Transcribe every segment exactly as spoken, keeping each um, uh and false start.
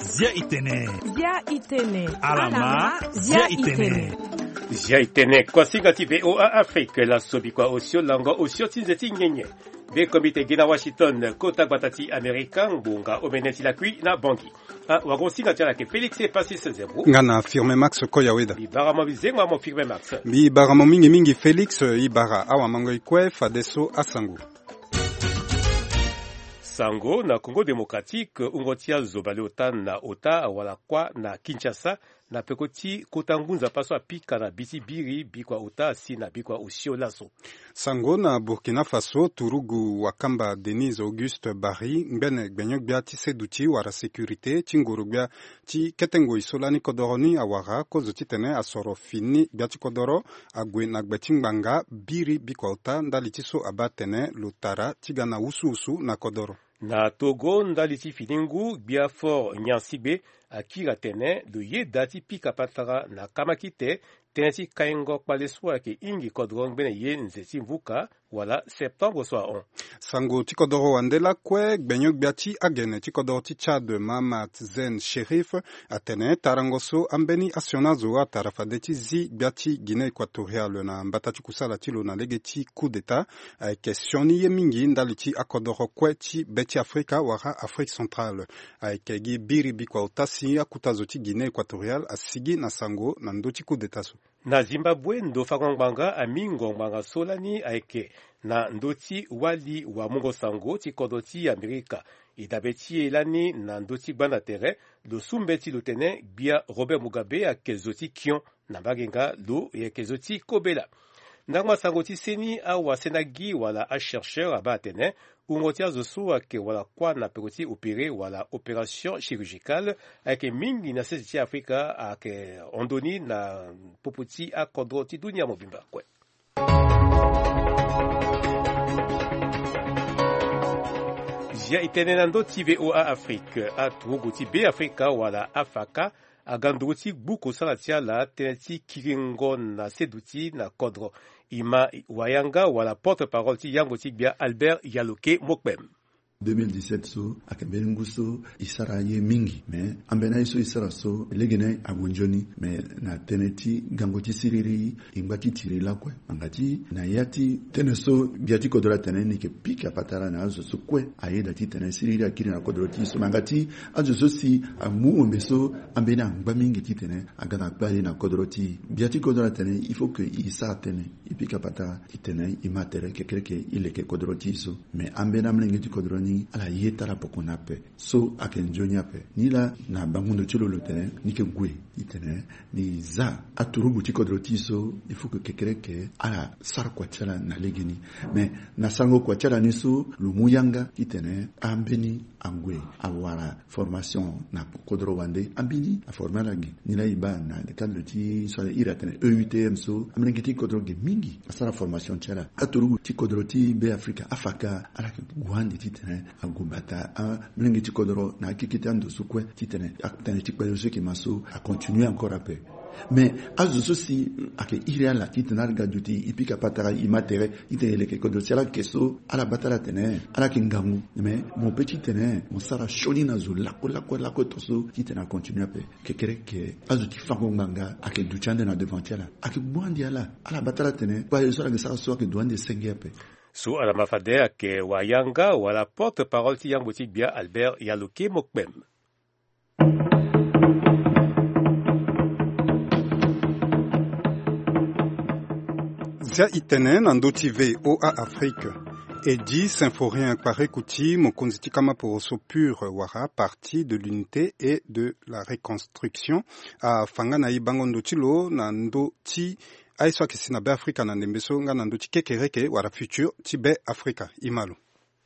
Zia itene. Zia itene. Alama, zia itene. Zia itene, kuasinga ti VOA Afrique, la sobi kua osio lango osio ti nze ti nyenye. Be komite gi na Washington, kota gbata ti Amerika, ngbonga omene ti lakui na Bangui. Ah, wago singa ti ala ke Félix Epasis Zebro. Nga na Firme Max Koyaweda. Mbi bara mo bizengo amo Firme Max. Mbi bara mo mingi mingi Félix, i bara awamango i kue fadeso asango. Sango na Congo Démocratique, wungo ti azo baleota na ota wala kuâ na Kinshasa, na peko ti kota ngu nzapa so apika na bi ti biri bikua ota si na bikua osio laso. Sango na Burkina Faso, turugu wakamba Denise Auguste Barry, ngbene gbenyo-gbia ti seduti wala sécurité ti ngoro-gbia ti kete ngoi so lani kodoro ni awara kozo titene asoro fini gbia ti kodoro ague na gbe ti ngbanga biri bikua ota ndali ti so abaa atene lo tara ti ga na wusuwusu na kodoro. Na Togo, ndali ti fini ngu, gbia Fort Nyansigbe akiri atene lo yeda ti pika patara na kamakite tënë ti kaingo kpale so ayeke hingi kodoro ngbene ye nze ti mvuka wala septembre so ahon. Sango ti kodoro wande lakue, gbenyo-gbia ti agene ti kodoro ti Tchad, Mahamat Zen Sherif, atene tarango so ambeni asioni azo atara fade ti zi gbia ti Guinée Équatoriale na mbata ti kusala ti lo na lege ti coup d'État ayeke sioni ye mingi ndali ti akodoro kue ti be ti Afrika wala Afrique centrale. Ayeke gi biri bikua ota si akuta zo ti Guinée Équatoriale asigi na sango na ndö ti coup d'État so. Na Zimbabwe, ndo fango ngbanga amingo ngbanga so lani ayeke na ndö ti wali wamungo sango ti kodro ti Amerika. E dabe ti e lani na ndö ti gbanda tere, lo su mbeti lo tene gbia Robert Mugabe ayeke zo ti kion. Na mbage nga lo yeke zo ti kobela. Ndangba sango ti seni, awasena gi wala achercheur abaa atene wungo ti azo so ayeke wala kuâ na peko ti opéré wala opération chirurgicale ayeke mingi na sese ti Afrika, ayeke hon ndoni na popo ti akodro ti dunia mobimba kue. Zia itene na ndö ti VOA Afrique, aturugu ti Be Afrika wala afaka aga nduru ti gbu kosala ti ala tënë ti kiringo na seduti na kodro. Ima wayanga wala porte-parole ti yango ti gbia Albert Yaloke Mokpem. Deux mille dix-sept so ayeke mbeni ngu so e sara ye mingi, me ambeni aye so e sara so legeni ague nzoni. Me na tënë ti gango ti siriri, e ngba ti tiri lakue. Ngbanga ti na ya ti tënë so gbia ti kodro atene ni yeke pika patara na azo so kue ayeda titene siriri akiri na kodro ti e so. Ngbanga ti azo so si amu ombe so ambeni angba mingi titene aga na kpale na kodro ti e. Gbia ti kodro atene il faut que e sara tënë, e pika patara titene e ma tere kekereke e leke kodro ti e so. Me ambeni amolenge ti kodro ni ala ye ti ala poko ni ape. So ayeke nzoni ape. Nilaa na bango ndo ti lo lo tene ni yeke gue titene ni za aturugu ti kodro ti e so, il faut que kekereke ala sara kua ti ala na legeni. Me na sarango kua ti ala ni so, lo mu yanga titene ambeni ague awara formation na kodro wande, ambeni aforme ala ge. Nilaa e baa na le cadre ti so ala iri atene E U T M so, amolenge ti kodro ge mingi asara formation ti ala. Aturugu ti kodro ti Be Afrika, afaka, ala yeke gue ande titene ague bata amolenge ti kodro na akeke ti ando so kue titene atënë ti kpale so yeke ma so acontinue encore ape. Me azo so si ayeke iri ala titene ala ga duti, e pika patara, e ma tere titene e leke kodro ti ala, ayeke so ala baa ti ala atene ala yeke ngangu. Me mo pe titene mo sara sioni na zo lakue lakue lakue to so titene acontinue ape. Kekereke azo ti fango ngbanga ayeke duti ande na devant ti ala, ayeke gbu ande ala. Ala baa ti ala atene kpale so ala yeke sara so ayeke duti ande senge ape. So ala ma fade ayeke wayanga wala porte-parole ti yangbo ti gbia Albert Yaloke Mokpem. Zia itene na ndö ti VOA Afrique. Eddy Symphorien Kpareku ti mokonzi ti kama poroso PUR wala Parti de l'Unité et de la Reconstruction afa nga na e bango ndo ti lo na ndö ti aye so ayeke si na Be Afrika na ndembe so nga na ndö ti kekereke wala futur ti Be Afrika. E ma lo.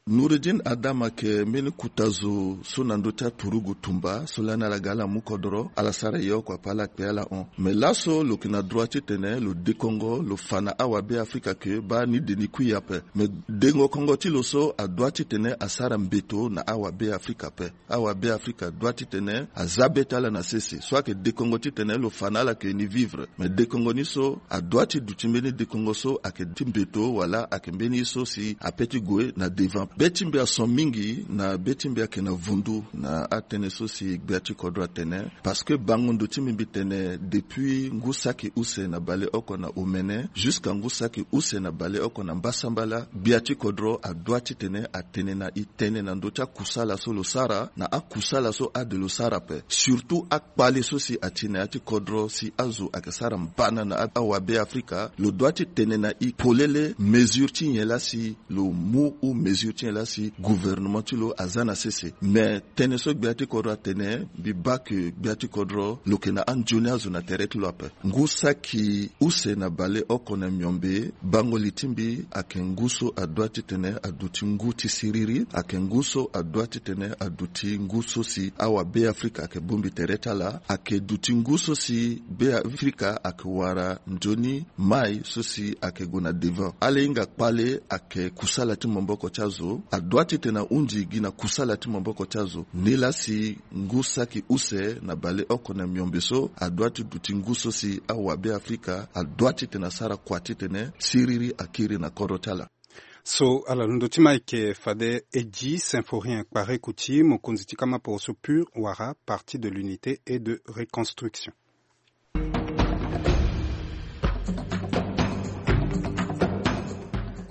Noureddine Adam ayeke mbeni kota zo so na ndö ti aturugu tumba so lani ala ga ala mu kodro, ala sara ye oko ape ala kpe ala hon. Me laso lo yeke na droit titene lo dekongo, lo fa na awabe afrika ke baa ni de ni kui ape. Me dengo kongo ti lo so adoit titene asara mbeto na awabe afrika ape. Awabe afrika adoit titene aza be ti ala na sese. So ayeke dekongo titene lo fa na ala ke ni vivre. Me dekongo ni so adoit ti duti mbeni dekongo so ayeke ti mbeto wala ayeke mbeni ye so si ape ti gue na devant. Be ti mbi ason mingi na be ti mbi ayeke na vundu na atënë so si gbia ti kodro atene. Parce que bango ndo ti mbi mbi tene depuis ngu saki use na bale oko na omene jusqu'à ngu saki use na bale oko na mbasambala, gbia ti kodro adoit titene atene na e tënë na ndö ti akusala so lo sara na akusala so ade lo sara ape. Surtout akpale so si ati na ya ti kodro si azo ayeke sara mbana na awabe afrika, lo doit ti tene na e polele mesure ti nyen laa si lo mu ou mesure ti nyen laa si gouvernement ti lo aza na sese. Me tënë so gbia ti kodro atene, mbi baa ke gbia ti kodro lo yeke na anzoni azo na tere ti lo ape. Ngu saki use na baleoko na miombe, bango li ti mbi ayeke ngu so adoit titene aduti ngu ti siriri, ayeke ngu so adoit titene aduti ngu so si awabeafrika ayeke bongbi tere ti ala, ayeke duti ngu so si beafrika ayeke wara nzoni mai so si ayeke gue na devant. Ala hinga kpale ayeke kusala ti maboko ti azo, adoit titene ahundi gi na kusala ti maboko ti azo. Nilaa si ngu saki use na baleoko na miombe so adoit ti duti ngu so si awabeafrika adoit titene asara kua titene siriri akiri na kodro ti ala. So ala londo ti ma ayeke fade Eddy Symphorien Kparekouti, mokonzi ti kama poroso pur wala Parti de l'Unité et de Reconstruction.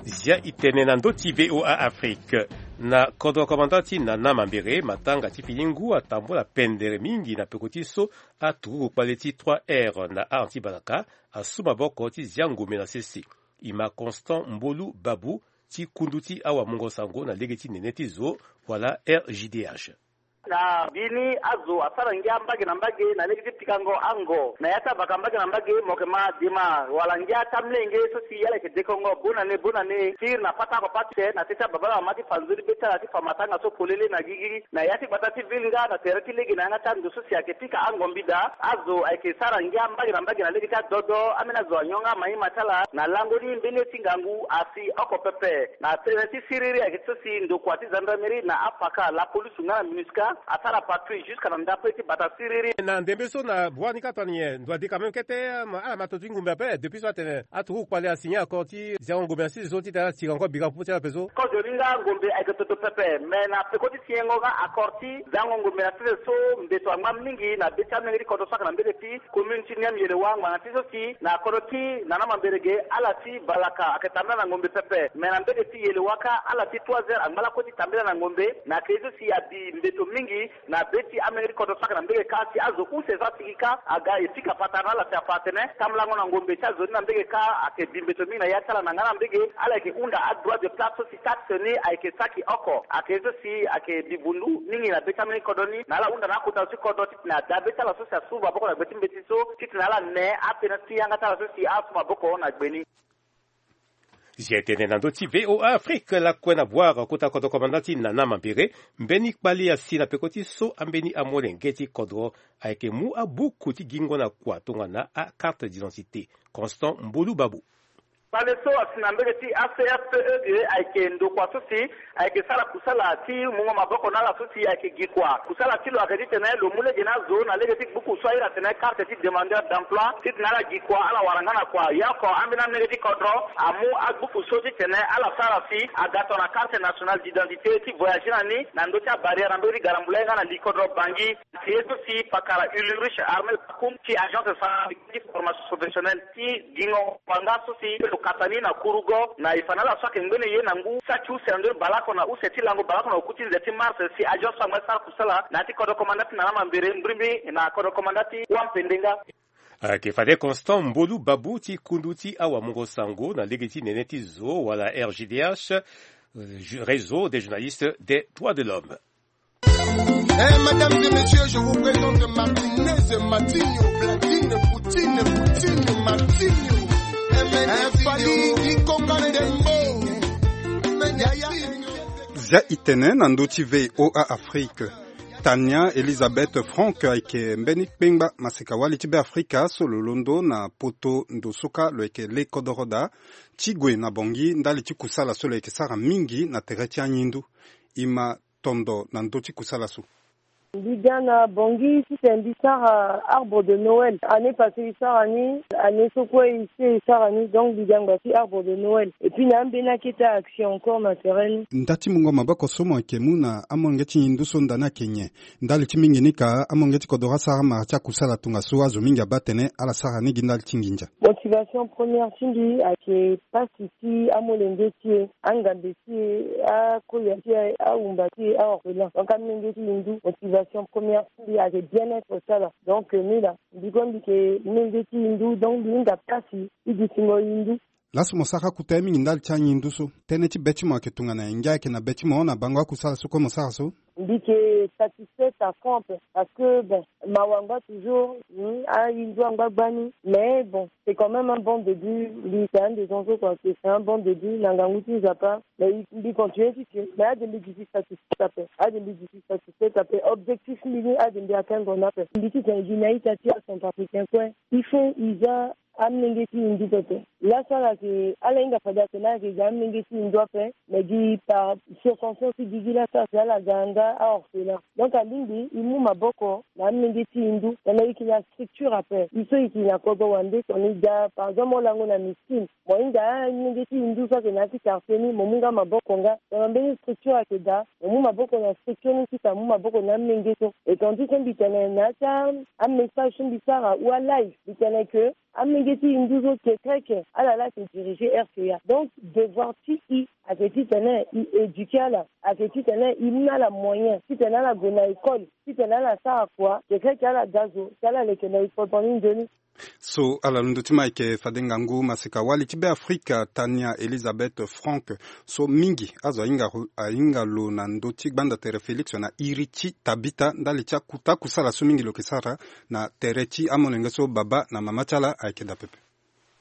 Zia e tene na ndö ti V O A Afrique. Na kodro komanda ti Nana Mambere, matanga ti fini ngu atambula pendere mingi na peko ti so aturuku kpale ti trois R na aran ti Balaka asu maboko ti zia ngombe na sese. E ma Constant Mbolu Babu ti kundu ti awamungo sango na lege ti nene ti zo wala R J D H. Na mbeni azo asara ngia mbage na mbage na lege ti pikango ango na ya ti avaka mbage na mbage, mo yeke ma dema wala ngia ti amlenge so si ala yeke dekongo bonane bonane, tiri na pata oko pate na teti ababala mama ti fa nzoni be ti ala ti fa matanga so polele na gigi na ya ti gbata ti ville nga na tere ti lege na yanga ti ando so si ayeke pika ango mbida. Azo ayeke sara ngia mbage na mbage na lege ti adodo, ambeni azo anyonga ama ye ma ti ala na lango ni mbeni ye ti ngangu asi oko pepe. Na tënë ti siriri ayeke ti so si ndokua ti gendarmerie na apaka, la police nga na MINUSCA, asara patrouille jusqu'à na ndape ti bata siriri. Na ndembe so na bua ni kâ tongana nyen ndo adi quand même kete, ma ala ma to ti ngumbe ape depuis so atene aturuku kpale asigné accord ti ziango ngumbe na sese so titene ala tira encore bira popo ti ala ape so. Kozo ni nga ngombe ayeke toto pepe, me na peko ti signengo nga accord ti ziango ngombe na sese so mbeto angba mingi na be ti amenge ti kodro so ayeke na mbege ti commune ti Niamey Yelewa ngbanga ti so si na kodro ti Nana Mambere ge ala ti Balaka ayeke tambela na ngombe pepe, me na mbege ti Yelewa kâ ala ti trois heures angba lakue ti tambela na ngombe. Na ke so si abi mbeto mingi na be ti amenge ti kodro so ayeke na mbege kâ si azo use so asigi kâ aga e pika patara na ala si afa atene tambulango na ngombe ti azo ni na mbege kâ ayeke bi mbeto mingi na ya ti ala na nga na mbege ala yeke hunda adroit de place so si taxe ni ayeke saki oko. Ayeke so si ayeke bi vundu mingi na be ti ameni kodro ni na ala hunda na akota zo ti kodro titene ada be ti ala so si asu maboko na gbe ti mbeti so titene ala ne atënë ti yanga ti ala so si asu maboko na gbe ni. Zia e tene na ndö ti V O A Afrique lakue na Bouar kota kodro komanda ti Nana Mambere, mbeni kpale asi na peko ti so ambeni amolenge ti kodro ayeke mu abuku ti gingo na kua tongana akarte d'identité. Constant Mbolu Babu. Kpale so asi na mbege ti A C F P E ge ayeke ndokua so si ayeke sara kusala ti mungo maboko na ala so si ayeke gi kua. Kusala ti lo ayeke titene lo mu lege na azo na lege ti gbuku so ahiri atene carte ti demandeur d'emploi titene ala gi kua ala wara nga na kua. Ya oko ambeni amenge ti kodro amu agbuku so titene ala sara si aga tongana carte nationale d'identité ti voyage na ni na ndö ti abarrière na mbege ti Garambula ye nga na li kodro Bangui. Ye so si pakara Ulrich Armel Pakum ti agence centrale ti formation professionnelle ti gingo wanga so si lo kata ni na Kourougo na e fa na ala so ayeke ngbene ye na ngu saki use na ndö ni baleoko na use ti lango baleoko na oku ti nze ti mars si agence so angba ti sara kusala na ya ti kodro komanda ti Nana Mambere mbrimbri na kodro komanda ti Wampendeng. Ayeke fade Constant Mbolu Babu ti kundu ti awamungo sango na lege ti nene ti zo wala R J D H, euh, Réseau des journalistes des droits de l'homme. Eh, mesdames et messieurs, je vous présente Martinez, Matinho, Platine, Poutine, Poutine, Martinho. Eh, Fally, Kikonga, Dembo. Yaya. Dia itene na ndö ti VOA Afrique. Tania Elisabeth Frank ayeke mbeni kpengba maseka-wali ti Beafrika so lo londo na poto ndo so kâ lo yeke le kodoro daa ti gue na Bangui ndali ti kusala so lo yeke sara mingi na tere ti anyindu. E ma tondo na ndö ti kusala so. Mbi ga na Bangui titene mbi sara arbre de Noël. Année passée e sara ni, année so kue e si e sara ni, donc mbi ga ngba ti arbre de Noël. Et puis na ambeni akete action encore na terrain ni. Nda ti mungo maboko so mo yeke mu na amolenge ti ngindu so nda ni ayeke nyen? Ndali ti mingi ni ka amolenge ti kodoro asara mara ti akusala tongaso azo mingi abaa atene ala sara ni gi ndali ti nginza. Motivation première ti mbi ayeke pasi ti amolenge ti e, angambe ti e, akoya ti e, awumba ti e, aorphelin. Donc amolenge ti ngindu, motivation première ti mbi ayeke bien-être ti ala. Donc ni laa mbi kue mbi yeke molenge ti ngindu, donc mbi hinga pasi ti dutingo ngindu. Laso mo sara kota ye mingi ndali ti angindu so. Tënë ti be ti mo ayeke tongana nyen? Ngia ayeke na be ti mo na bango akusala so kue mo sara so? Mbi yeke satisfaite à fond ape, parce que bon, mawa angba toujours, hmm, angindu angba gbani, mais bon, c'est quand même un bon début. Mbi yeke un des gens so kua, c'est un bon début na ngangu ti Nzapa. Mais mbi continue ti tene, mais ade mbi duti satisfaite ape, ade mbi duti satisfaite ape. Objectif mbi ni ade mbi atteindre ni ape. Mbi ti tene gi na ita ti acentrafricain kue, il faut e za amolenge ti ngindu pepe. Laso ala yeke, ala hinga fade atene ala yeke ga amolenge ti ngindu ape, mais gi par circonstance ti gigi laso ala si ala ga nga aorphelin. Donc alingbi e mu maboko na amolenge ti ngindu, tongana e yeke na structure ape, e so e yeke na kodro wande, tongana e ga par exemple olango na miskine, mo hinga amolenge ti ngindu so ayeke na ya ti quartier ni, mo mu nga maboko nga. Tongana mbeni structure ayeke daa, mo mu maboko na structure ni ti tene mo mu maboko na amolenge so. Et tandis so mbi tene na ya ti amessage so mbi sara ou alive, mbi tene que amolenge ti ngindu so kekreke ala laa ayeke diriger R C A. Donc devoir ti e ayeke titene e éduquer ala, ayeke titene e mu na ala moyen titene ala gue na école, titene ala sara kua, kekreke ala ga zo si ala leke na e kodro ni nzoni. So ala londo ti ma ayeke fade ngangu maseka-wali ti Beafrika Tania Elisabeth Frank, so mingi azo ahinga, ahinga lo na ndö ti gbanda tere Félix na iri ti Tabita ndali ti akuta kusala so mingi lo yeke sara na tere ti amolenge so baba na mama ti ala ayeke daa pepe.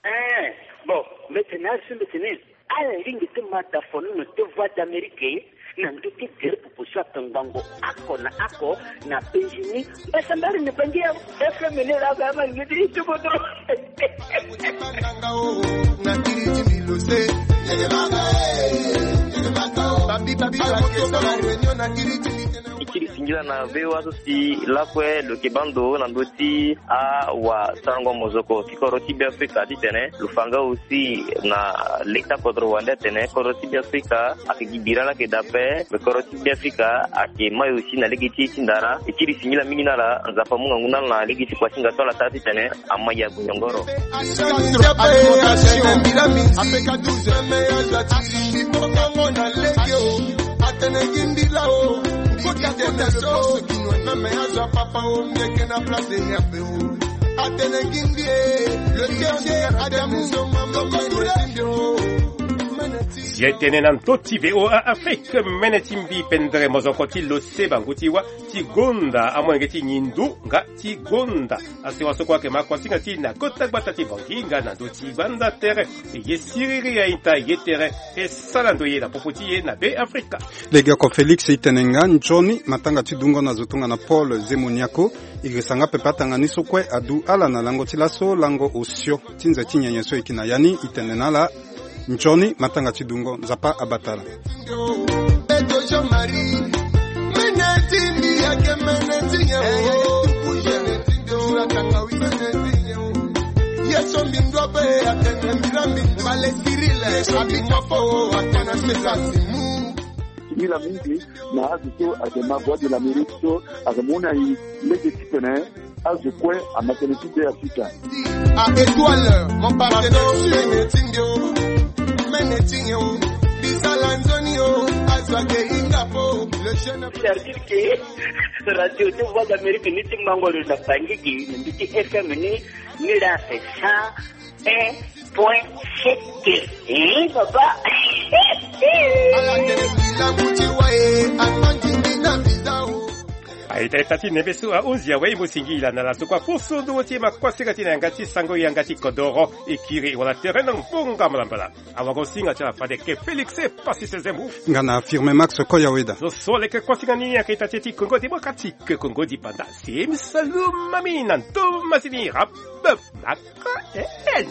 Eh, bon, mbi tene azo so mbi tene ala lingbi ti ma dafono na te Voix d'Amérique na ndö ti tere popo so atongbango oko na oko na Benjini. Mbasambari ni bangi ya F M ni la ga ma ngidi ti kodro. E kiri singila na V O A so si lakue lo yeke baa ndo na ndö ti awasarango mozoko ti kodro ti Beafrika titene lo fa nga aussi na leta kodro wande atene kodro ti Beafrika ayeke gi bira laa ayeke daa ape, me kodro ti Beafrika ayeke mai aussi na lege ti e ti ndara. E kiri singila mingi na ala, Nzapa amu ngangu na ala na lege ti kua ti hinga so ala sara titene ama ya gue nyongoro. Si e tene na ndö ti V O A Afrique, mene ti mbi pendere mozoko ti lo se bango ti wa ti gonda amolenge ti ngindu nga ti gonda. Asewa so kue ayeke ma kuasinga ti e na kota gbata ti Bangui nga na ndö ti gbanda tere. E ye siriri a-ita, e ye tere, e sara ndo ye na popo ti e na Beafrika. Legeoko Félix e tene nga nzoni matanga ti dungo na zo tongana Paul Zemoniako. E girisa nga pepe atanga ni so kue adu ala na lango ti laso, lango osio ti nze ti nyenye so e yeke na ya ni. E tene na ala nzoni matanga ti dungo, Nzapa abata ala. Singila mingi na azo so ayeke ma Voix de l'Amérique so ayeke mu na e lege titene azo kue ama tënë ti Beafrika. A étoile, mon partenaire sûr. C'est-à-dire que radio ti Voix d'Amérique ni ti mango lo na Bangui gi na mbi ti F M ni, ni la fait cent un point sept. Eh, papa. Ita ita ti nembe so ahunzi awe e mo singila na laso kua poso ndongo ti e ma kuasinga ti na yanga ti sango yanga ti kodoro e kiri wala tere na ngbonga mbalambala. Awagosinga ti ala fade ke Félix e pasi sezemu. Nga na affirme Max Koyaweda. Zo so leke kuasinga ni ayeke ita ti e ti Kongo démocratique, Kongo dipanda. Sim salumami na ndo masini rabe maka en.